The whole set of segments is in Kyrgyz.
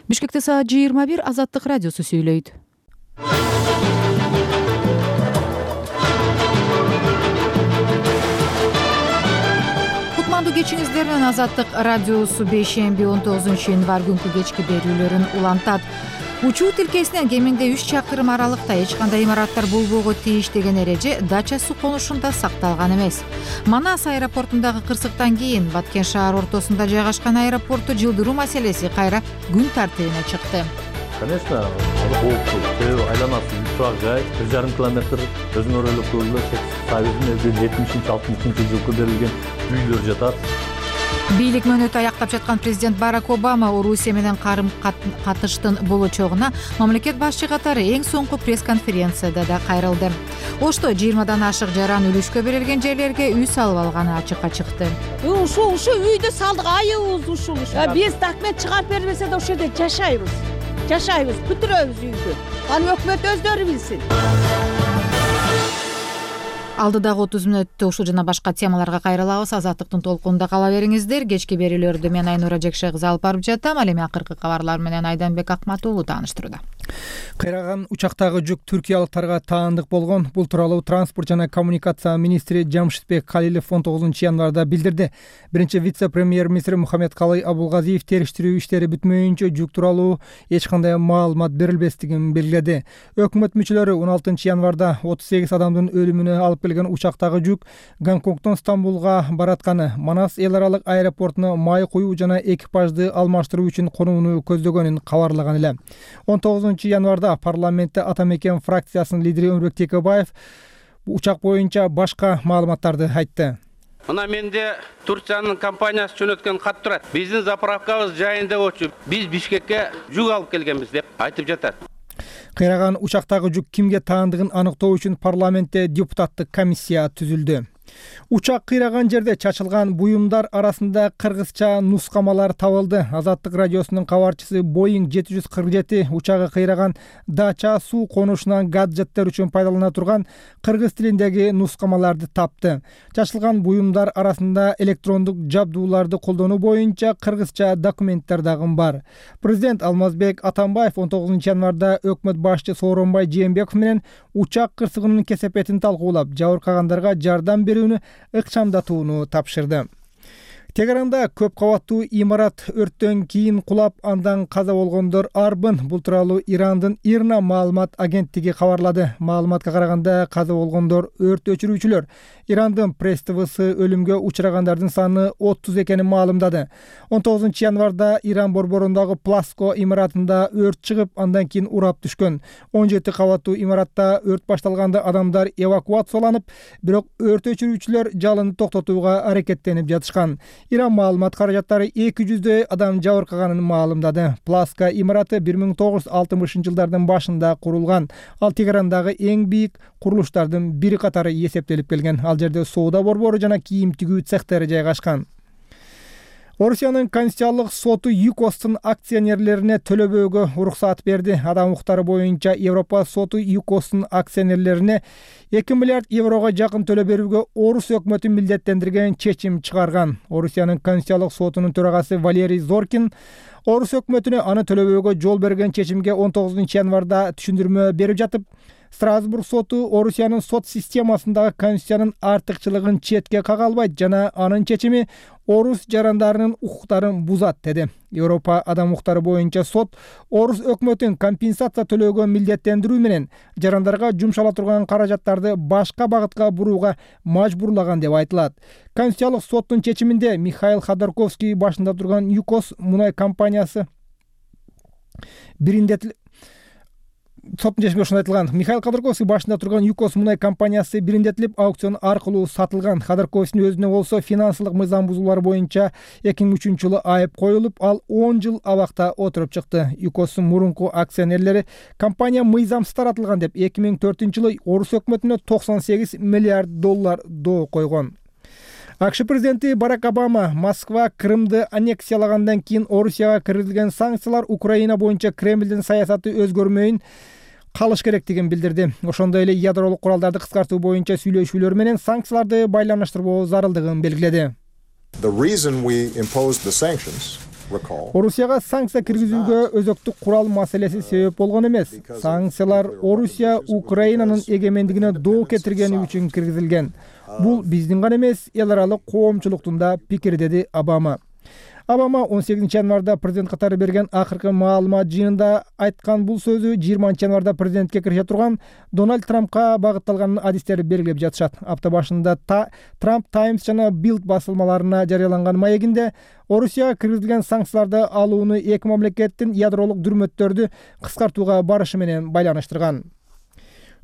Бишкекте саат 21 Азаттык радиосу сүйлөйт. Кутмандуу кечиңиздер менен Азаттык радиосу бейшемби 19 январь күнкү кечки берүүлөрүн улантат. Учуу тилкесинен кеминде 3 чакырым аралыкта эч кандай имараттар болбого тийиш деген эреже Дача суу конушунда сакталган эмес. Манас аэропортундагы кырсыктан кийин Баткен шаар ортосунда жайгашкан аэропортту жылдыруу маселеси кайра күн тартибине чыкты. Конечно, болупту. Айланасы турак жай 1,5 километр өзүнө өлөкөлүү Союздун 70-60 жылкы берилген үйлөр жатат. Бийлик мөөнөтү аяктап жаткан президент Барак Обама Орусия менен карым катыштын болочогуна мамлекет башчы катары эң соңку пресс-конференцияда да кайрылды. Ошто 20дан ашык жаран үлүшкө берилген жерлерге үй салып алганы ачыкка чыкты. Ушу үйдө салдык, айыбыз ушул. Биз документ чыгарып бербесе да ошол жерде жашайбыз, бүтүрөбүз үйдү. Аны өкмөт өздөрү билсин. Алдыдагы 30 мүнөттө ушул жана башка темаларга кайрылабыз. Азаттыктын толкунунда кала бериңиздер. Кечки берүүлөрдү мен Айнура Жекше кызы алып барып жатам. Ал эми акыркы кабарлар менен Айданбек Акмат уулу тааныштырууда. Кайраган учактагы жүк түркиялыктарга таандык болгон. Бул тууралуу транспорт жана коммуникация министри Жамшитбек Калилов 19 январда билдирди. Биринчи вице-премьер-министр Мухаммедкалый Абулгазиев териштирүү иштери бүтмөйүнчө жүк тууралуу эч кандай маалымат берилбестигин белгиледи. Өкмөт мүчөлөрү 16 январда 38 адамдын өлүмүнө алып келген учактагы жүк Гонконгдон Стамбулга баратканы, Манас эл аралык аэропортуна май куюу жана экипажды алмаштыруу үчүн конууну көздөгөнүн кабарлаган эле. 19 январда парламентте Ата мекен фракциясынын лидери Өмүрбек Текебаев учак боюнча башка маалыматтарды айтты. Мына менде Турциянын компаниясы жөнөткөн кат турат. Биздин заправкабыз жайында болчу. Биз Бишкекке жүк алып келгенбиз деп айтып жатат. Кайраган учактагы жүк кимге таандыгын аныктоо үчүн парламентте депутаттык комиссия түзүлдү. Учак кыйраган жерде чачылган буюмдар арасында кыргызча нускамалар табылды. Азаттык радиосунун кабарчысы Boeing 747 учагы кыйраган Дача суу конушунан гаджеттер үчүн пайдалана турган кыргыз тилиндеги нускамаларды тапты. Чачылган буюмдар арасында электрондук жабдууларды колдонуу боюнча кыргызча документтер дагы бар. Президент Алмазбек Атамбаев 19 январда өкмөт башчы Сооронбай Жээнбеков менен учак кырсыгынын кесепетин талкуулап, жабыркагандарга жардам берүүнү ыкчамдатууну тапшырды. Тегеранда көп кабаттуу имарат өрттөн кийин кулап, андан каза болгондор арбын. Бул тууралуу Ирандын Ирна маалымат агенттиги кабарлады. Маалыматка караганда каза болгондор өрт өчүрүүчүлөр. Ирандын пресс ТВсы өлүмгө учурагандардын саны 30 экенин маалымдады. 19 январда Иран борборундагы Пласко имаратында өрт чыгып, андан кийин урап түшкөн. 17 кабаттуу имаратта өрт башталганда адамдар эвакуацияланып, бирок өрт өчүрүүчүлөр жалынды токтотууга аракеттенип жатышкан. Иран маалымат каражаттары 200 адам жабыркаганын маалымдады. Пласка имараты 1960-жылдардын башында курулган. Ал Тегерандагы эң бийик курулуштардын бири катары эсептелип келген. Ал жерде соода борбору жана кийим тигүү цехтери жайгашкан. Орусиянын Конституциялык соту ЮКОстун акционерлерине төлөбөөгө уруксат берди. Адам укуктары боюнча Европа соту ЮКОстун акционерлерине 2 миллиард еврого жакын төлөө берүүгө Орус өкмөтүн милдеттендирген чечим чыгарган. Орусиянын Конституциялык сотунун төрагасы Валерий Зоркин Орус өкмөтүнө аны төлөбөөгө жол берген чечимге 19 январда түшүндүрмө берип жатып, Страсбург соту Орусиянын сот системасындагы конституциянын артыкчылыгын четке кага албайт жана анын чечими орус жарандарынын укуктарын бузат деди. Европа адам укуктары боюнча сот Орус өкмөтүн компенсация төлөөгө милдеттендирүү менен жарандарга жумшала турган каражаттарды башка багытка бурууга мажбурлаган деп айтылат. Конституциялык соттун чечиминде Михаил Ходорковский башында турган ЮКОС мунай компаниясы Михаил Ходорковский башында турган ЮКОС мунай компаниясы бириндетилип аукцион аркылуу сатылган. Ходорковскийдин өзүнө болсо финансылык мыйзам бузуулар боюнча 2003 жылы айып коюлуп, ал 10 жыл абакта отуруп чыкты. ЮКОстун мурунку акционерлери компания мыйзамсыз таратылган деп 2004 жылы Орус өкмөтүнө $98 миллиард доо койгон. АКШ президенти Барак Обама Москва Крымды аннексиялагандан кийин Орусияга киргизилген санкциялар Украина боюнча Кремлдин саясаты өзгөрмөйүн калыш керектигин билдирди. Ошондой эле ядролук куралдарды кыскартуу боюнча сүйлөшүүлөр менен санкцияларды байланыштырбоо зарылдыгын белгиледи. The reason we imposed the sanctions Орусияга санкция киргизүүгө өзөктүк курал маселеси себеп болгон эмес. Санкциялар Орусия Украинанын эгемендигине доо кетиргени үчүн киргизилген. Бул биздин гана эмес, эл аралык коомчулуктун да пикири, деди Обама. Обама 18 январда президент катары берген акыркы маалымат жыйынында айткан бул сөзү 20 январда президентке киреше турган Дональд Трампка багытталганын адистери белгилеп жатышат. Апта башында Трамп Times жана Bild басылмаларына жарыяланган маегинде Орусияга киргизилген санкцияларды алууну эки мамлекеттин ядролук дүрмөттөрдү кыскартууга барышы менен байланыштырган.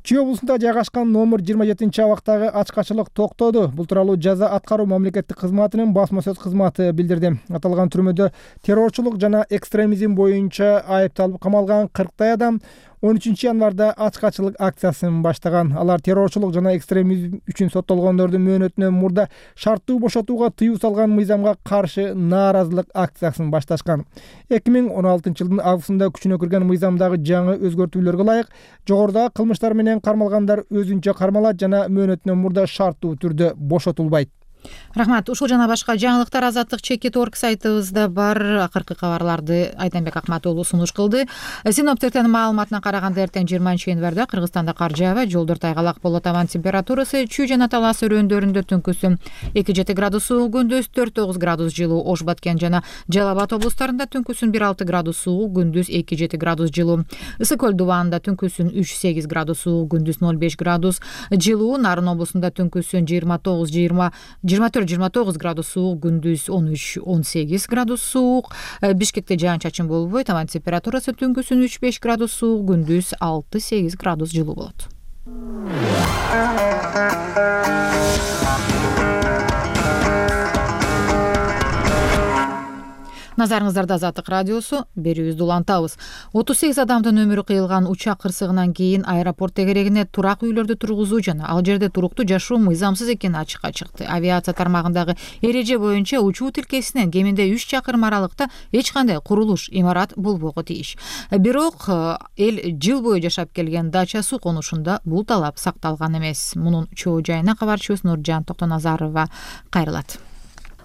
Чүй облусунда жайгашкан номер 27-абактагы ачкачылык токтоду. Бул тууралуу жаза аткаруу мамлекеттик кызматынын басма сөз кызматы билдирди. Аталган түрмөдө террорчулук жана экстремизм боюнча айыпталып камалган 40 адам 13 январда ачкачылык акциясын баштаган. Алар террорчулук жана экстремизм үчүн соттолгондордун мөөнөтүнөн мурда шарттуу бошотууга тыюу салган мыйзамга каршы нааразылык акциясын башташкан. 2016 жылдын августунда күчүнө кирген мыйзамдагы жаңы өзгөртүүлөргө ылайык жогорудагы кылмыштар менен кармалгандар өзүнчө кармалат жана мөөнөтүнөн мурда шарттуу түрдө бошотулбайт. Рахмат. Ушул жана башка жаңылыктар Азаттык.org сайтыбызда бар. Акыркы кабарларды Айданбек Акматуулу сунуш кылды. Синоптиктердин маалыматына караганда эртең 20 январда Кыргызстанда кар жаабайт, жолдор тайгалак болот. Абанын температурасы Чүй жана Талас өрөөндөрүндө түнкүсүн 2-7 градус суук, күндүз 4-9 градус жылуу. Ош, Баткен жана Жалал Абад облустарында түнкүсүн 1-6 градус суук, күндүз 2-7 градус жылуу. Ысык көл дубанында түнкүсүн 3-8 градус суук, күндүз 0-5 градус жылуу. Нарын облусунда түнкүсүн 24-29 градус суук, күндүз 13-18 градус суук. Бишкекте жаан-чачын болбойт. Абанын температурасы түнкүсүн 3-5 градус суук, күндүз 6-8 градус жылуу болот. Назарыңыздарда Азаттык радиосу, берүүбүздү улантабыз. 38 адамдын өмүрү кыйылган учак кырсыгынан кийин аэропорт тегерегине турак үйлөрдү тургузуу жана ал жерде туруктуу жашоо мыйзамсыз экени ачыкка чыкты. Авиация тармагындагы эреже боюнча учуу тилкесинен кеминде 3 чакырым аралыкта эч кандай курулуш, имарат болбого тийиш. Бирок эл жыл бою жашап келген дача суу конушунда бул талап сакталган эмес. Мунун чоо жайына кабарчыбыз Нуржан Токтоназарова кайрылат.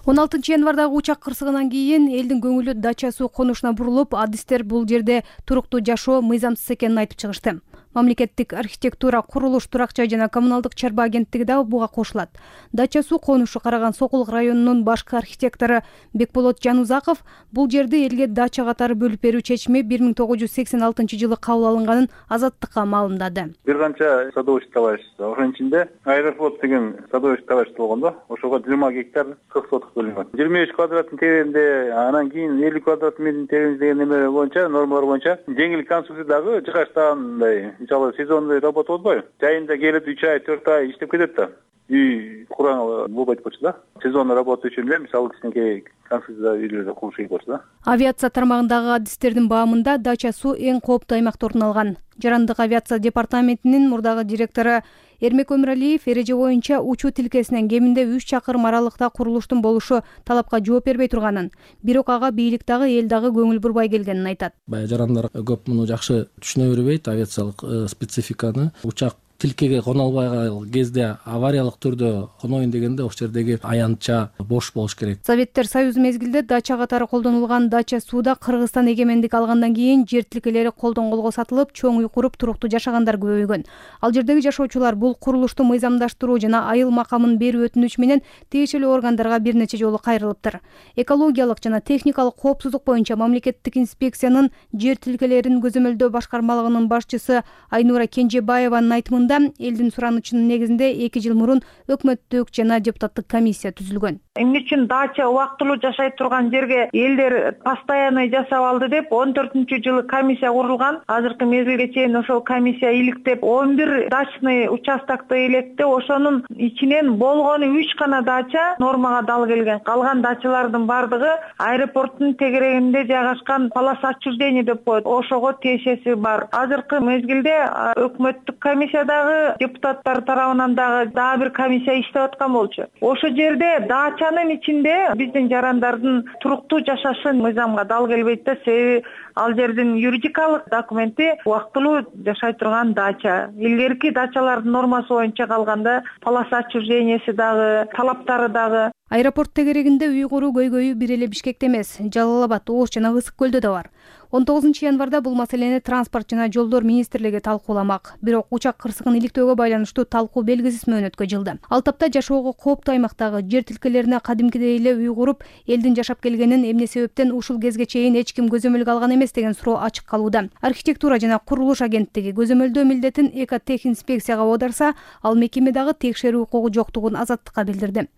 16 январдагы учак кырсыгынан кийин элдин көңүлү дача суу конушуна бурулуп, адистер бул жерде туруктуу жашоо мыйзамсыз экенин айтып чыгышты. Мамлекеттик архитектура, курулуш, турак жай жана коммуналдык чарба агенттиги дагы буга кошулат. Дача суу конушу Караган Сокулук районунун башкы архитектору Бекболот Жанузаков бул жерди элге дача катары бөлүп берүү чечими 1986 жылы кабыл алынганын Азаттыкка маалымдады. Бир канча садоводчий товарищ, ошонун ичинде Аэрофлот деген садоводчий товарищ болгондо, ошого 20 гектар 40 соток бөлүнгөн. 23 квадраттын тереңде, анан кийин 50 квадрат метрдин тереңде деген неме боюнча, нормалар боюнча жеңил конструкция дагы жыгачтагандай, мисалы сезонный работа болбойбу? Жайында келип 3 ай, 4 ай иштеп кетет да. Үй курган болбойт болчу да. Сезонный работа үчүн эле мисалы кичинекей конструкция үйлөрдө куруш керек болчу да. Авиация тармагындагы адистердин баамында дача суу эң кооптуу аймакта орун алган. Жарандык авиация департаментинин мурдагы директору Эрмек Өмүралиев эреже боюнча учуу тилкесинен кеминде 3 чакырым аралыкта курулуштун болушу талапка жооп бербей турганын, бирок ага бийлик дагы эл дагы көңүл бурбай келгенин айтат. Баягы жарандар көп муну жакшы түшүнө бербейт, авиациялык спецификаны. Учак тилкеге коно албай кезде авариялык түрдө коноюн дегенде ошол жердеги аянтча бош болуш керек. Советтер Союзу мезгилде дача катары колдонулган дача сууда Кыргызстан эгемендик алгандан кийин жер тилкелери колдон колго сатылып, чоң үй куруп туруктуу жашагандар көбөйгөн. Ал жердеги жашоочулар бул курулушту мыйзамдаштыруу жана айыл макамын берүү өтүнүч менен тиешелүү органдарга бир нече жолу кайрылыптыр. Экологиялык жана техникалык коопсуздук боюнча мамлекеттик инспекциянын жер тилкелерин көзөмөлдөө башкармалыгынын башчысы Айнура Кенжебаеванын айтымында элдин суранычынын негизинде 2 жыл мурун өкмөттүк жана депутаттык комиссия түзүлгөн. Эмне үчүн дача убактылуу жашай турган жерге элдер постоянный жасап алды деп 14-жылы комиссия курулган. Азыркы мезгилге чейин ошол комиссия иликтеп 11 дачный участокто электе, ошонун ичинен болгону 3 гана дача нормага дал келген. Калган дачалардын бардыгы аэропорттун тегерегинде жайгашкан полоса отчуждения деп коет. Ошого тиешеси бар. Азыркы мезгилде өкмөттүк комиссиядагы депутаттар тарабынан дагы бир комиссия иштеп аткан болчу. Ошол жерде дачанын ичинде биздин жарандардын туруктуу жашашы мыйзамга дал келбейт да, себеби ал жердин юридикалык документи убактылуу жашай турган дача. Илгерки дачалардын нормасы боюнча калганда полоса отчужденияси дагы, талаптары дагы Аэропорт тегерегинде үй куруу көйгөйү бир эле Бишкекте эмес, Жалал Абад, Ош жана Ысык көлдө да бар. 19-январда бул маселени Транспорт жана жолдор министрлиги талкууламак. Бирок учак кырсыгын иликтөөгө байланыштуу талкуу белгисиз мөөнөткө жылды. Ал тапта жашоого кооптуу аймактагы жер тилкелерине кадимкидей эле үй куруп, элдин жашап келгенин, эмне себептен ушул кезге чейин эч ким көзөмөлгө алган эмес деген суроо ачык калууда. Архитектура жана курулуш агенттиги көзөмөлдөө милдетин экотехинспекцияга оодарса, ал мекеме дагы текшерүү укугу жоктугун Азаттыкка билдирди.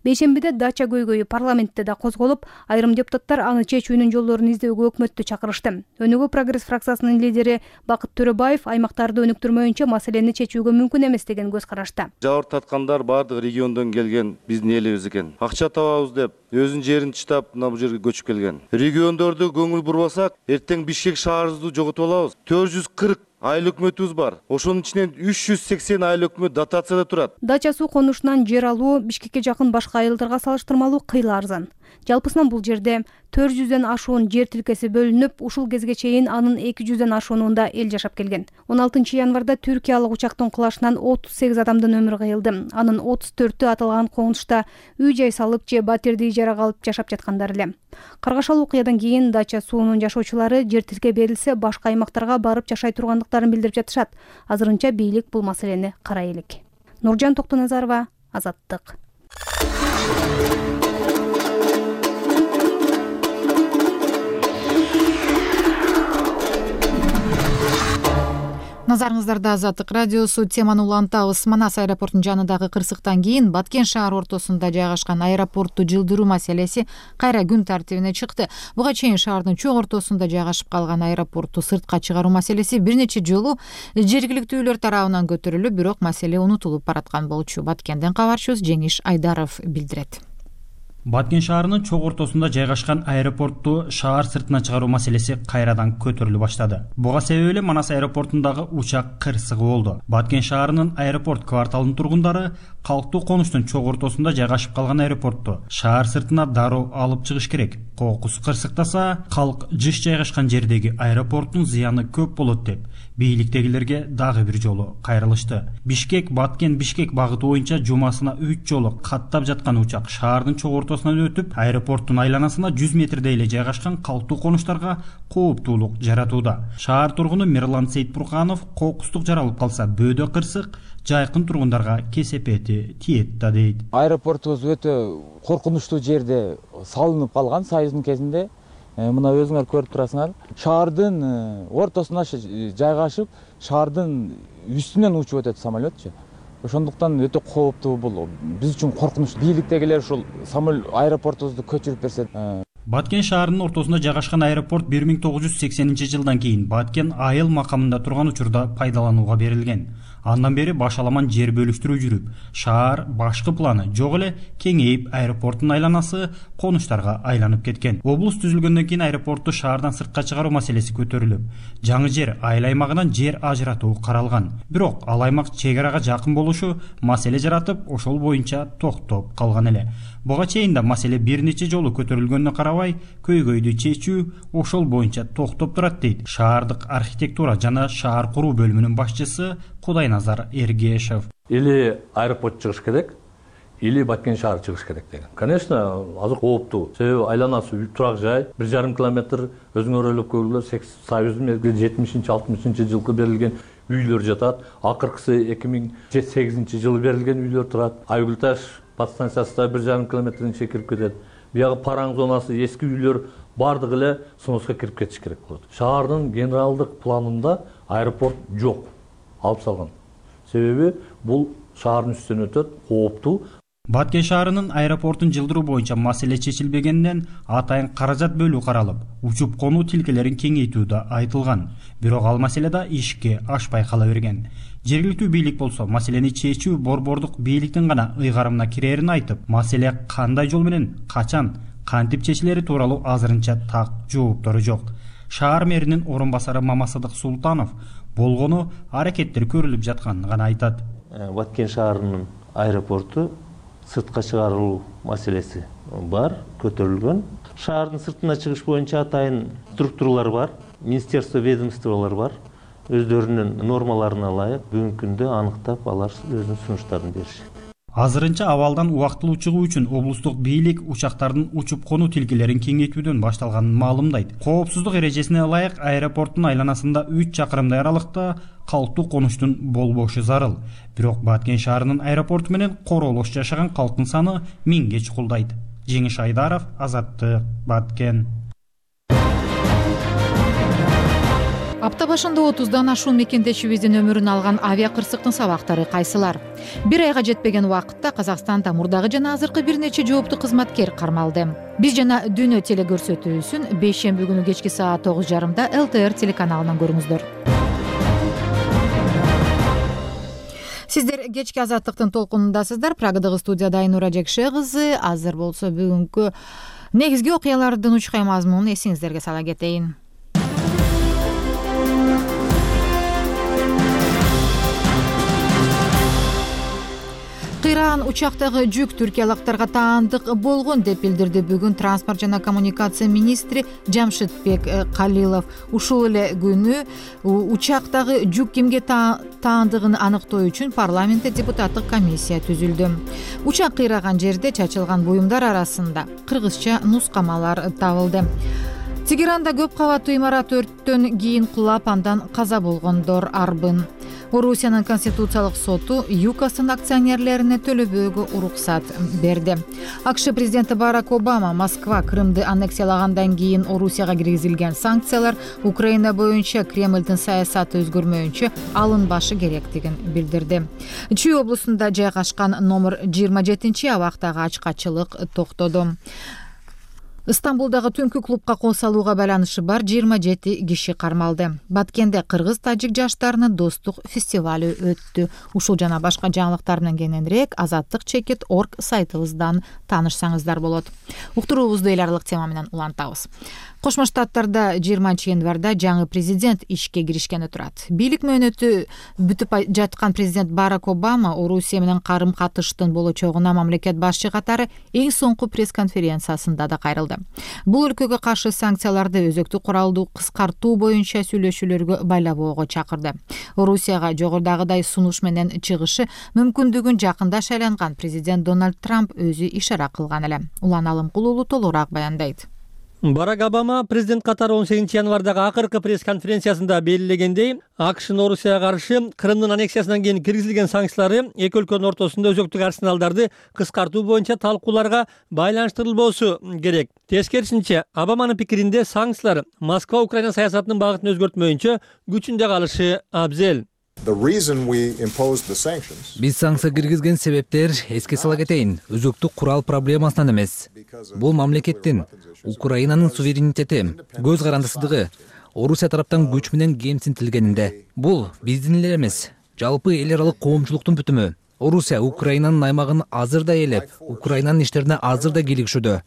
Бейшембиде дача көйгөйү парламентте да козголуп, айрым депутаттар аны чечүүнүн жолдорун издөөгө өкмөттү чакырышты. Өнүгүү прогресс фракциясынын лидери Бакыт Төрөбаев аймактарды өнүктүрмөйүнчө маселени чечүүгө мүмкүн эмес деген көз карашта. Жабыр таткандар баардык региондон келген биздин элибиз экен. Акча табабыз деп өзүнүн жерин таштап мына бул жерге көчүп келген. Региондорду көңүл бурбасак, эртең Бишкек шаарыбызды жоготуп алабыз. 440 айыл өкмөтүбүз бар. Ошонун ичинен 380 айыл өкмөт дотацияда турат. Дача суу конушунан жер алуу Бишкекке жакын башка айылдарга салыштырмалуу кыйла арзан. Жалпысынан бул жерде 400дөн ашуун жер тилкеси бөлүнүп, ушул кезге чейин анын 200дөн ашуунунда эл жашап келген. 16-январда түркиялык учактын кулашынан 38 адамдын өмүрү кыйылды. Анын 34-ü аталган конушта үй-жай салып же батирди ижарага алып жашап жаткандар эле. Каргашалуу окуядан кийин дача суунун жашоочулары жер тилке берилсе башка аймактарга барып жашай тургандыктарын билдирип жатышат. Азырынча бийлик бул маселени карай элек. Нуржан Токтоназарова, Азаттык. Назарыңыздарда Азаттык радиосу. Теманы улантабыз. Манас аэропортунун жанындагы кырсыктан кийин Баткен шаар ортосунда жайгашкан аэропортту жылдыруу маселеси кайра күн тартибине чыкты. Буга чейин шаардын чок ортосунда жайгашып калган аэропортту сыртка чыгаруу маселеси бир нече жолу жергиликтүүлөр тарабынан көтөрүлүп, бирок маселе унутулуп бараткан болчу. Баткенден кабарчыбыз Жеңиш Айдаров билдирет. Баткен шаарынын чок ортосунда жайгашкан аэропортту шаар сыртына чыгаруу маселеси кайрадан көтөрүлө баштады. Буга себеп эле Манас аэропортундагы учак кырсыгы болду. Баткен шаарынын аэропорт кварталынын тургундары калктуу конуштун чок ортосунда жайгашып калган аэропортту шаар сыртына дароо алып чыгыш керек. Кокус кырсыктаса, калк жыш жайгашкан жердеги аэропорттун зыяны көп болот деп бийликтегилерге дагы бир жолу кайрылышты. Бишкек Баткен Бишкек багыты боюнча жумасына 3 жолу каттап жаткан учак шаардын чок ортосунан өтүп, аэропорттун айланасына 100 метрдей эле жайгашкан калктуу конуштарга кооптуулук жаратууда. Шаар тургуну Мирлан Сейитбурканов кокустук жаралып калса, бөөдө кырсык жайкын тургундарга кесепети тиет да дейт. Аэропортубуз өтө коркунучтуу жерде салынып калган Союздун кезинде. Мына өзүңөр көрүп турасыңар. Шаардын ортосуна жайгашып, шаардын үстүнөн учуп өтөт самолетчу. Ошондуктан өтө кооптуу бул. Биз үчүн коркунуч. Бийликтегилер ушул аэропортубузду көчүрүп берсе. Баткен шаарынын ортосунда жайгашкан аэропорт 1980-жылдан кийин Баткен айыл макамында турган учурда пайдаланууга берилген. Андан бери башаламан жер бөлүштүрүү жүрүп, шаар башкы планы жок эле кеңейип, аэропорттун айланасы конуштарга айланып кеткен. Облус түзүлгөндөн кийин аэропортту шаардан сыртка чыгаруу маселеси көтөрүлүп, жаңы жер айыл аймагынан жер ажыратуу каралган. Бирок ал аймак чек арага жакын болушу маселе жаратып, ошол боюнча токтоп калган эле. Буга чейин да маселе бир нече жолу көтөрүлгөнүнө карабай, көйгөйдү чечүү ошол боюнча токтоп турат дейт шаардык архитектура жана шаар куруу бөлүмүнүн башчысы Кудайназар Эргешев. Или аэропорт чыгыш керек, или Баткен шаар чыгыш керек деген. Конечно, азыр кооптуу. Себеби айланасы турак жай, 1,5 километр өзүңөр ойлоп көргүлөр, Союздун 70-60 жылкы берилген үйлөр жатат. Акыркысы 2008 жылы берилген үйлөр турат. Айгүлташ подстанциясында 1,5 километрден чекирип кетет. Биягы Параң зонасы эски үйлөр бардыгы эле сунуска кирип кетиш керек болот. Шаардын генералдык планында аэропорт жок. Алып салган. Себеби бул шаардын үстүнөн өтөт, кооптуу. Баткен шаарынын аэропортун жылдыруу боюнча маселе чечилбегенден атайын каражат бөлүү каралып, учуп конуу тилкелерин кеңейтүү да айтылган. Бирок ал маселе да ишке ашпай кала берген. Жергиликтүү бийлик болсо маселени чечүү борбордук бийликтин гана ыйгарымына кирерин айтып, маселе кандай жол менен, качан, кантип чечилери тууралуу азырынча так жооптору жок. Шаар мэринин орун басары Мамасадык Султанов болгону аракеттер көрүлүп жатканын гана айтат. Баткен шаарынын аэропорту сыртка чыгарылуу маселеси бар, көтөрүлгөн. Шаардын сыртына чыгыш боюнча атайын структуралар бар, министерство, ведомстволор бар. Өздөрүнүн нормаларына ылайык бүгүнкү күндө аныктап алар өзүнүн сунуштарын беришет. Азырынча абалдан убактылуу чыгуу үчүн облустук бийлик учактардын учуп конуу тилкелерин кеңейтүүдөн башталганын маалымдайт. Коопсуздук эрежесине ылайык аэропорттун айланасында 3 чакырымдай аралыкта калктуу конуштун болбошу зарыл. Бирок Баткен шаарынын аэропорту менен королош жашаган калктын саны 1000ге чукулдайт. Жеңиш Айдаров, Азаттык, Баткен. Апта башында 30дан ашуун мекендешибиздин өмүрүн алган авиа кырсыктын сабактары кайсылар? Бир айга жетпеген убакытта Казакстанда мурдагы жана азыркы бир нече жооптуу кызматкер кармалды. Биз жана Дүйнө телекөрсөтүүсүн бейшемби күнү кечки саат 9:30 ЛТР телеканалынан көрүңүздөр. Сиздер кечки Азаттыктын толкунундасыздар. Прагадагы студияда Айнура Жекше кызы. Азыр болсо бүгүнкү негизги окуялардын учкай мазмунун эсиңиздерге сала кетейин. Кыйраган учактагы жүк түркиялыктарга таандык болгон деп билдирди бүгүн транспорт жана коммуникация министри Жамшитбек Калилов. Ушул эле күнү учактагы жүк кимге таандыгын аныктоо үчүн парламентте депутаттык комиссия түзүлдү. Учак кыйраган жерде чачылган буюмдар арасында кыргызча нускамалар табылды. Тегеранда көп кабаттуу имарат өрттөн кийин кулап андан каза болгондор арбын. Орусиянын конституциялык соту ЮКОстун акционерлерине төлөбөөгө уруксат берди. АКШ президенти Барак Обама Москва Крымды аннексиялагандан кийин Орусияга киргизилген санкциялар Украина боюнча Кремлдин саясаты өзгөрмөйүнчө алынбашы керектигин билдирди. Чүй облусунда жайгашкан номер 27 абактагы ачкачылык токтоду. Стамбулдагы түнкү клубка кол салууга байланышы бар 27 киши кармалды. Баткенде кыргыз-тажик жаштарынын достук фестивалы өттү. Ушул жана башка жаңылыктар менен кененирээк azattik.org сайтыбыздан таанышсаңыздар болот. Уктуруубузду эл аралык тема менен улантабыз. Кошмо Штаттарда 20 январда жаңы президент ишке киришкени турат. Бийлик мөөнөтү бүтүп жаткан президент Барак Обама Орусия менен карым-катыштын болочогуна мамлекет башчы катары эң соңку пресс-конференциясында да кайрылды. Бул өлкөгө каршы санкцияларды өзөктүк куралдуу кыскартуу боюнча сүйлөшүүлөргө байлабоого чакырды. Орусияга жогорудагыдай сунуш менен чыгышы мүмкүндүгүн жакында шайланган президент Дональд Трамп өзү ишара кылган эле. Улан Алымкулуулу толугураак баяндайт. Барак Обама президент катары 18 январдагы акыркы пресс-конференциясында белгилегендей, АКШнын Орусияга каршы Крымдын аннексиясынан кийин киргизилген санкциялары эки өлкөнүн ортосунда өзөктүк арсеналдарды кыскартуу боюнча талкууларга байланыштырылбоосу керек. Тескерисинче, Обаманын пикиринде санкциялар Москва Украина саясатынын багытын өзгөртмөйүнчө күчүндө калышы абзел. Биз санкция киргизген себептер эске сала кетейин. Өзөктүк курал проблемасынан эмес. Бул мамлекеттин, Украинанын суверенитети, көз карандысыздыгы, Орусия тараптан күч менен кемсинтилгенинде. Бул биздин эле эмес, жалпы эл аралык коомчулуктун бүтүмү. Орусия Украинанын аймагын азыр да ээлеп, Украинанын иштерине азыр да кийлигишүүдө.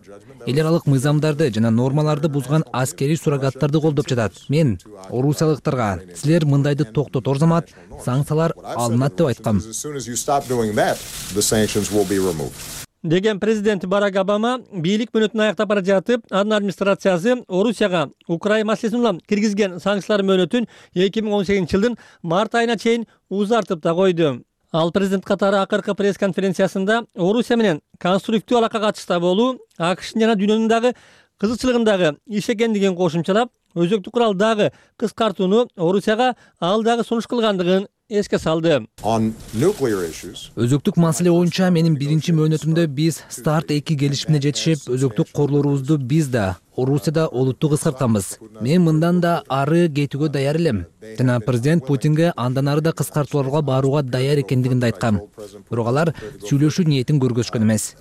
Эл аралык мыйзамдарды жана нормаларды бузган аскерий сурагаттарды колдоп жатат. Мен орусиялыктарга силер мындайды токтотор замат санкциялар алынат деп айткам. Деген президент Барак Обама бийлик мөөнөтүн аяктап бара жатып, анын администрациясы Орусияга Украина маселесин улам киргизген санкциялар мөөнөтүн 2018 жылдын март айына чейин узартып да койду. Ал президент катары акыркы пресс-конференциясында Орусия менен конструктив алакага чыкта болуу АКШнын жана дүйнөнүн дагы кызыкчылыгындагы иш экендигин кошумчалап, өзөктүк курал дагы кыскартууну Орусияга ал дагы сунуш кылгандыгын эске салды. Өзөктүк маселе боюнча менин биринчи мөөнөтүмдө биз старт 2 келишимине жетишип, өзөктүк корлорубузду биз да Орусияда олуттуу кыскартканбыз. Мен мындан да ары кетүүгө даяр элем. Жана президент Путинге андан ары да кыскартууларга барууга даяр экендигин айткам. Бирок алар сүйлөшүү ниетин көргөзгөн эмес.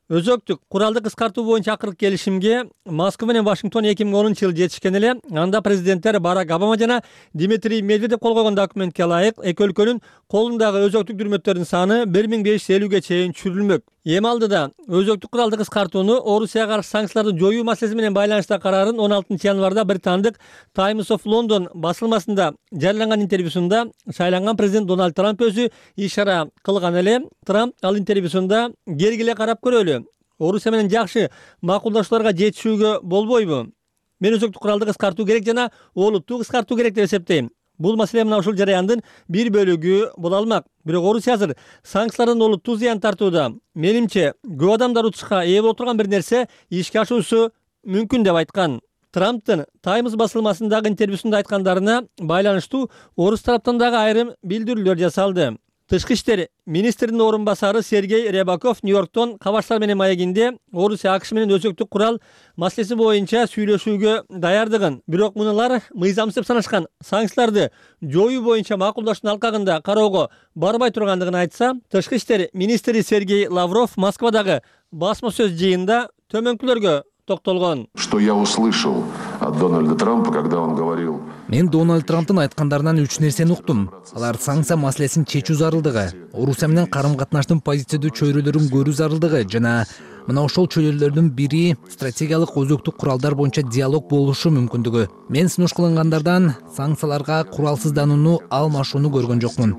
Өзөктүк куралды кыскартуу боюнча акыркы келишимге Москва менен Вашингтон 2010 жылы жетишкен эле. Анда президенттер Барак Обама жана Дмитрий Медведев кол койгон документке ылайык эки өлкөнүн колундагы өзөктүк дүрмөттөрдүн саны 1550-ге чейин чүрүлмөк. Эми алдыда өзөктүк куралды кыскартууну Орусияга каршы санкцияларды жоюу маселеси менен байланыштагы карарын 16 январда британдык Times of London басылмасында жарыяланган интервьюсунда шайланган президент Дональд Трамп өзү ишара кылган эле. Трамп ал интервьюсунда кергиле карап көрөлү. Орусия менен жакшы макулдашууларга жетишүүгө болбойбу? Мен өзөктүк куралды кыскартуу керек жана олуттуу кыскартуу керек деп эсептейм. Бул маселе мына ушул жараяндын бир бөлүгү боло алмак. Бирок Орусия азыр санкциялардан олуттуу зыян тартууда. Менимче, көп адамдар утушка ээ боло турган бир нерсе ишке ашуусу мүмкүн деп айткан. Трамптын Times басылмасындагы интервьюсунда айткандарына байланыштуу орус тараптан дагы айрым билдирүүлөр жасалды. Тышкы иштер министринин орун басары Сергей Рябаков Нью-Йорктон кабарчылар менен маегинде Орусия АКШ менен өзөктүк курал маселеси боюнча сүйлөшүүгө даярдыгын, бирок мунулар мыйзамсыз деп санашкан санкцияларды жоюу боюнча макулдаштын алкагында кароого барбай тургандыгын айтса, тышкы иштер министри Сергей Лавров Москвадагы басма сөз жыйынында төмөнкүлөргө токтолгон. Что я услышал от Дональда Трампа, когда он говорил... Мен Дональд Трамптын айткандарынан 3 нерсени уктум. Алар санкция маселесин чечүү зарылдыгы, Орусия менен карым-катнаштын позициядуу чөйрөлөрүн көрүү зарылдыгы жана мына ошол чөйрөлөрдүн бири стратегиялык өзөктүк куралдар боюнча диалог болушу мүмкүндүгү. Мен сунуш кылынгандардан санкцияларга куралсызданууну алмашууну көргөн жокмун.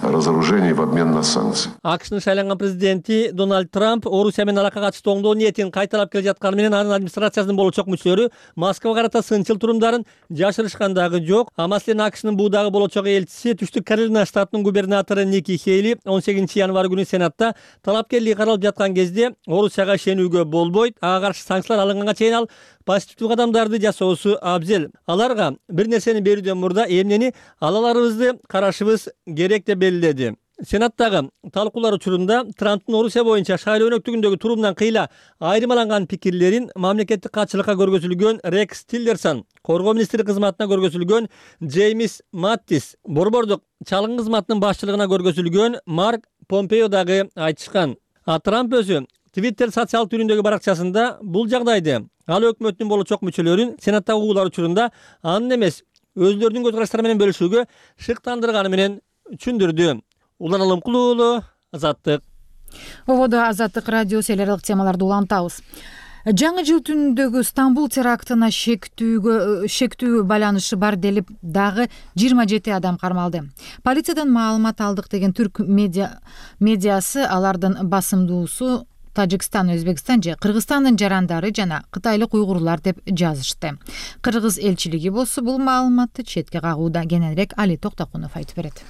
Разоружение в обмен на санкции. АКШнын шайланган президенти Дональд Трамп Орусия менен алакага катыштуу оңдоо ниетин кайталап келе жатканы менен анын администрациясынын болочок мүчөлөрү Москвага карата сынчыл турумдарын жашырышкан дагы жок. Маселен, АКШнын бул дагы болочок элчиси Түштүк Каролина штатынын губернатору Ники Хейли 18 январь күнү Сенатта талапкерлиги каралып жаткан кезде Орусияга ишенүүгө болбойт, ага каршы санкциялар алынганга чейин ал позитивдүү кадамдарды жасоосу абзел. Аларга бир нерсени берүүдөн мурда эмнени алаларыбызды карашыбыз керек деп белгиледи. Сенаттагы талкуулар учурунда Трамптын Орусия боюнча шайлоо өнөктүгүндөгү турумунан кыйла айырмаланган пикирлерин мамлекеттик катчылыкка көргөзүлгөн Рекс Тиллерсон, коргоо министри кызматына көргөзүлгөн Джеймс Маттис, борбордук чалгын кызматынын башчылыгына көргөзүлгөн Марк Помпео дагы айтышкан. Трамп өзү Twitter социал түрүндөгү баракчасында бул жагдайды ал өкмөттүн болочок мүчөлөрүн Сенаттагы угуулар учурунда анын эмес өзлөрүнүн көз караштары менен бөлүшүүгө шыктандырганы менен түшүндүрдү. Улан Алымкул уулу, Азаттык. Ободо Азаттык радиосу эл аралык темаларды улантабыз. Жаңы жыл түнүндөгү Стамбул терактына шектүү байланышы бар делип дагы 27 адам кармалды. Полициядан маалымат алдык деген түрк медиасы алардын басымдуусу Тажикстан, Өзбекстан же Кыргызстандын жарандары жана кытайлык уйгурлар деп жазышты. Кыргыз элчилиги болсо бул маалыматты четке кагууда. Кененирээк Али Токтокунов айтып берет.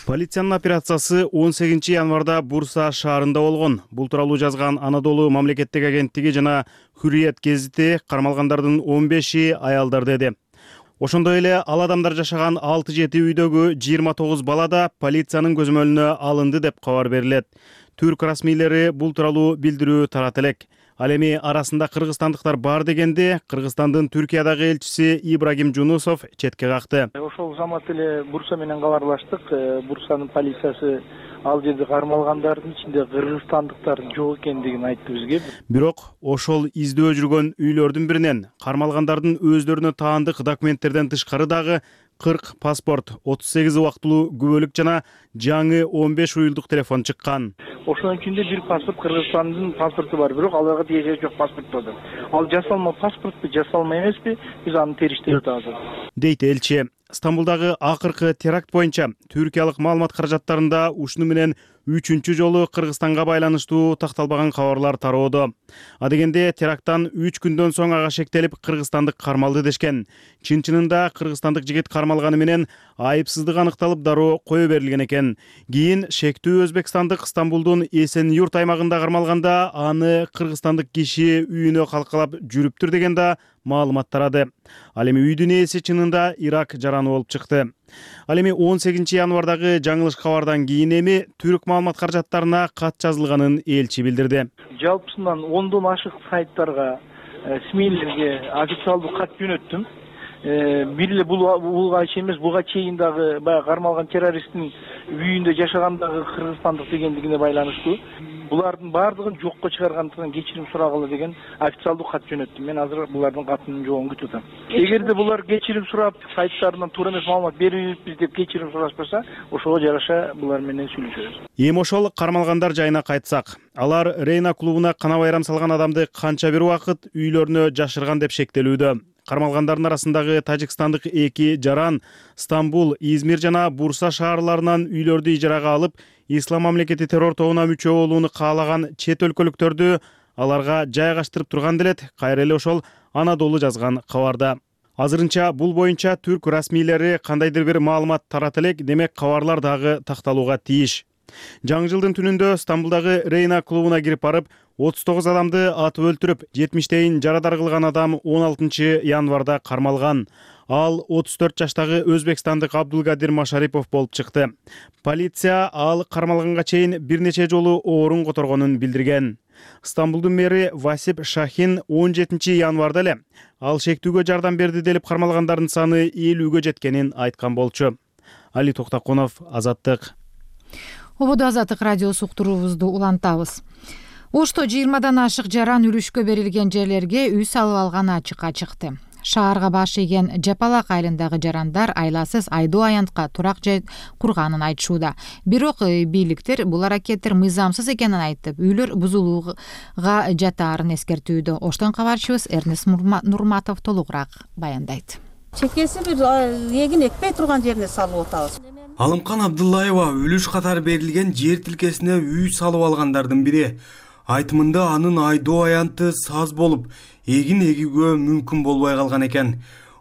Полициянын операциясы 18 январда Бурса шаарында болгон. Бул тууралуу жазган Анадолу мамлекеттик агенттиги жана Хүрүят гезити кармалгандардын 15и аялдар деди. Ошондой эле ал адамдар жашаган 6-7 үйдөгү 29 бала да полициянын көзөмөлүнө алынды деп кабар берилет. Түрк расмийлери бул тууралуу билдирүү тарат элек. Ал эми арасында кыргызстандыктар бар дегенде Кыргызстандын Түркиядагы элчиси Ибрагим Жунусов четке какты. Ошол замат эле Бурса менен кабарлаштык. Бурсанын полициясы ал жерде кармалгандардын ичинде кыргызстандыктар жок экендигин айтты бизге. Бирок ошол издөө жүргөн үйлөрдүн биринен кармалгандардын өздөрүнө таандык документтерден тышкары дагы 40 паспорт, 38 убактылуу күбөлүк жана жаңы 15 уюлдук телефон чыккан. Ошонун ичинде бир паспорт Кыргызстандын паспорту бар, бирок аларга тиешеси жок паспорт болду. Ал жасалма паспортпу, жасалма эмеспи? Биз аны териштирип атабыз. Дейт элчи. Стамбулдагы акыркы теракт боюнча түркиялык маалымат каражаттарында ушуну менен 3-чү жолу Кыргызстанга байланыштуу такталбаган кабарлар тароодо. Адегенде теракттан 3 күндөн соң ага шектелип Кыргызстандык кармалды дешкен. Чын-чынында Кыргызстандык жигит кармалганы менен айыпсыздык аныкталып дароо кое берилген экен. Кийин шектүү Өзбекстандык Стамбулдун Эсен-Юрт аймагында кармалганда аны кыргызстандык киши үйүнө калкалап жүрүптүр деген да маалымат тарады. Ал эми үйдүн ээси чынында Ирак жараны болуп чыкты. Ал эми 18 январдагы жаңылыш кабардан кийин эми түрк маалымат каражаттарына кат жазылганын элчи билдирди. Жалпысынан 10дон ашык сайттарга, СМИлерге официалдуу кат жөнөттүм. Бир эле булга эмес, буга чейин дагы баягы кармалган террористтин үйүндө жашагандагы кыргызстандык дегендигине байланыштуу. Булардын баардыгын жокко чыгаргандыктан кечирим сурагыла деген официалдуу кат жөнөттүм. Мен азыр булардын катынын жоогун күтүп атам. Эгерде булар кечирим сурап, сайттарынан туура эмес маалымат берибиз деп кечирим сурашпаса, ошого жараша булар менен сүйлөшөбүз. Эми ошол кармалгандар жайына кайтсак, алар Рейна клубуна кана байрам салган адамды канча бир убакыт үйлөрүнө жашырган деп шектелүүдө. Кармалгандардын арасындагы тажикстандык 2 жаран Стамбул, Измир жана Бурса шаарларынан үйлөрдү ижарага алып, Ислам мамлекети террор тобуна мүчө болууну каалаган чет өлкөлүктөрдү аларга жайгаштырып турган делет кайра эле ошол Анадолу жазган кабарда. Азырынча бул боюнча түрк расмийлери кандайдыр бир маалымат тарата элек, демек кабарлар дагы такталууга тийиш. Жаңы жылдын түнүндө Стамбулдагы Рейна клубуна кирип барып, 39 адамды атып өлтүрүп, 70-тейин жарадар кылган адам 16 январда кармалган. Ал 34 жаштагы өзбекстандык Абдулгадир Машарипов болуп чыкты. Полиция ал кармалганга чейин бир нече жолу оорун которгонун билдирген. Стамбулдун мэри Васип Шахин 17 январда эле ал шектүүгө жардам берди делип кармалгандардын саны 50-гө жеткенин айткан болчу. Али Токтакунов, Азаттык. Ободо Азаттык радиосу уктуруубузду улантабыз. Ошто 20дан ашык жаран үлүшкө берилген жерлерге үй салып алганы ачыкка чыкты. Шаарга баш ийген Жапалак айылындагы жарандар айласыз Айдоо аянтка турак жай курганын айтышууда. Бирок бийликтер бул аракеттер мыйзамсыз экенин айтып, үйлөр бузулууга жатаарын эскертүүдө. Оштон кабарчыбыз Эрнес Нурматов толугураак баяндайт. Чекеси бир эгин экпей турган жерине салып атабыз. Алымкан Абдуллаева үлүш катары берилген жер тилкесине үй салып алгандардын бири. Айтымында анын Айдоо аянты саз болуп, эгин эгүүгө мүмкүн болбой калган экен.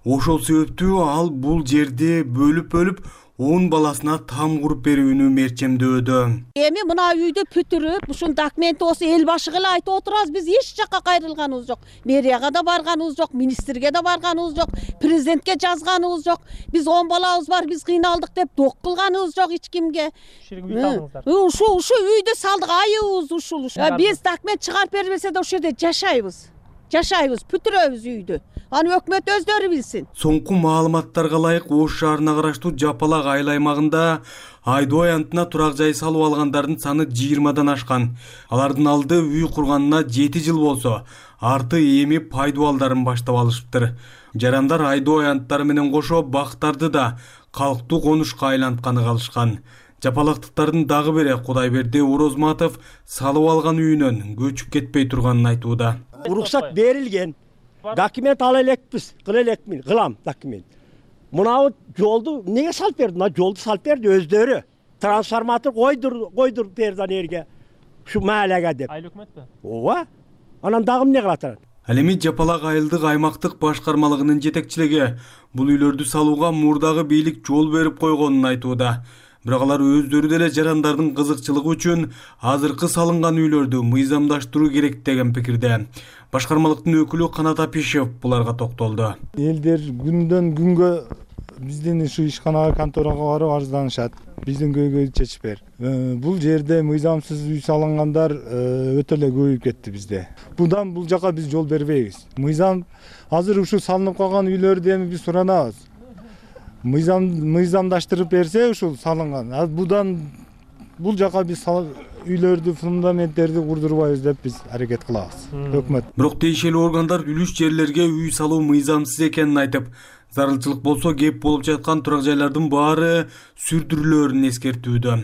Ошол себептүү ал бул жерди бөлүп 10 баласына там куруп берүүнү мерчемдөөдө. Эми мына үйдү бүтүрүп, ушун документти осы эл башыга эле айтып отурабыз. Биз эч жакка кайрылганыбыз жок. Мэрияга да барганыбыз жок, министрге да барганыбыз жок, президентке жазганыбыз жок. Биз 10 балабыз бар, биз кыйналдык деп док кылганыбыз жок эч кимге. Ушу үйдү салдык, айыбыз ушул. Биз документ чыгарып бербесе да ошол жерде жашайбыз, бүтүрөбүз үйдү. Аны өкмөт өздөрү билсин. Соңку маалыматтарга ылайык Ош шаарына караштуу Жапалак айыл аймагында Айдоо аянтына турак жай салып алгандардын саны 20дан ашкан. Алардын алды үй курганына 7 жыл болсо, арты эми пайдубалдарын баштап алышыптыр. Жарандар Айдоо аянттары менен кошо бактарды да калктуу конушка айлантканы калышкан. Жапалактыктардын дагы бири Кудайберди Орозматов салып алган үйүнөн көчүп кетпей турганын айтууда. Уруксат берилген. Документ ала элекпиз, кылам документ. Мынау жолду неге салып берди? Мына жолду салып берди өздөрү. Трансформатор койдур берди жерге. Ушу маалага деп. Айыл өкмөтпү? Ооба. Анан дагы эмне кылат? Ал эми Жапалак айылдык аймактык башкармалыгынын жетекчилиги бул үйлөрдү салууга мурдагы бийлик жол берип койгонун айтууда. Бирок алар өздөрү деле жарандардын кызыкчылыгы үчүн азыркы салынган үйлөрдү мыйзамдаштыруу керек деген пикирде. Башкармалыктын өкүлү Канат Апишев буларга токтолду. Элдер күндөн күнгө биздин ушу ишканага, конторага барып арызданышат. Биздин көйгөй чечип бер. Бул жерде мыйзамсыз үй салынгандар өтө эле көбөйүп кетти бизде. Бул жака биз жол бербейбиз. Мыйзам азыр ушу салынып калган үйлөрдү эми биз суранабыз. Мыйзамдаштырып берсе ушул салынган. Бул жака биз үйлөрдү, фундаменттерди курдурбайбыз деп биз аракет кылабыз. Өкмөт. Бирок тиешелүү органдар үлүш жерлерге үй салуу мыйзамсыз экенин айтып, зарылчылык болсо кеп болуп жаткан турак жайлардын баары сүрдүрүлөөрүн эскертүүдө.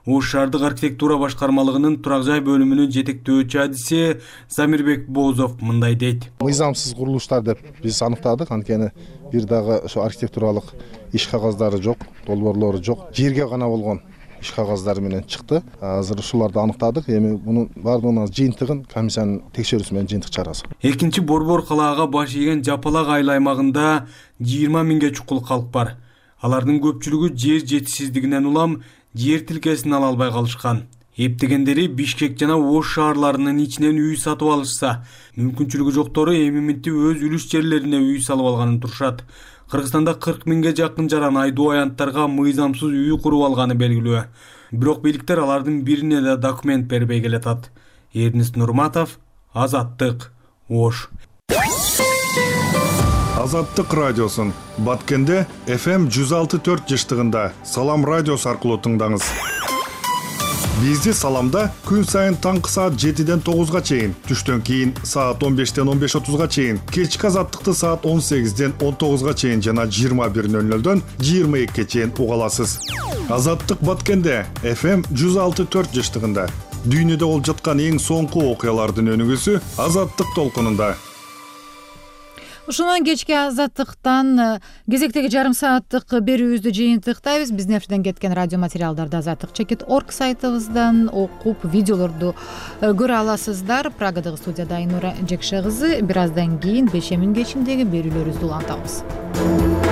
Ош шаардык архитектура башкармалыгынын турак жай бөлүмүнүн жетектөөчү адиси Замирбек Боозов мындай дейт. Мыйзамсыз курулуштар деп биз аныктадык, анткени бир дагы ошо архитектуралык иш кагаздары жок, долбоорлору жок, жерге гана болгон иш кагаздары менен чыкты. Азыр ушуларды аныктадык. Эми мунун баардыгынын жыйынтыгын комиссиянын текшерүүсү менен жыйынтык чыгарабыз. Экинчи борбор калаага баш ийген Жапалак айыл аймагында 20 миңге чукул калк бар. Алардын көпчүлүгү жер жетишсиздигинен улам жер тилкесин ала албай калышкан. Эптегендери Бишкек жана Ош шаарларынын ичинен үй сатып алышса, мүмкүнчүлүгү жоктору эми өз үлүш жерлерине үй салып алганын турушат. Кыргызстанда 40 миңге жакын жаран Айдоо аянттарга мыйзамсыз үй куруп алганы белгилүү. Бирок бийликтер алардын бирине да документ бербей келатат. Эрнес Нурматов, Азаттык, Ош. Азаттык радиосун Баткенде FM 106.4 жыштыгында Салам радиосу аркылуу тыңдаңыз. Бизди Саламда күн сайын таңкы саат 7ден 9га чейин, түштөн кийин саат 15ден 15:30га чейин, кечки Азаттыкты саат 18ден 19га чейин жана 21:00дөн 22ге чейин уга аласыз. Азаттык Баткенде FM 106.4 жыштыгында дүйнөдө болуп жаткан эң соңку окуялардын өнүгүүсү Азаттык толкунунда. Ушундан кечки Азаттыктан кезектеги жарым сааттык берүүбүздү жыйынтыктайбыз. Биздин эфирден кеткен радио материалдарды azattik.org сайтыбыздан окуп, видеолорду көрө аласыздар. Прагадагы студияда Айнура Жекше кызы. Бир аздан кийин Бешемин кечиндеги берүүлөрүбүздү улантабыз.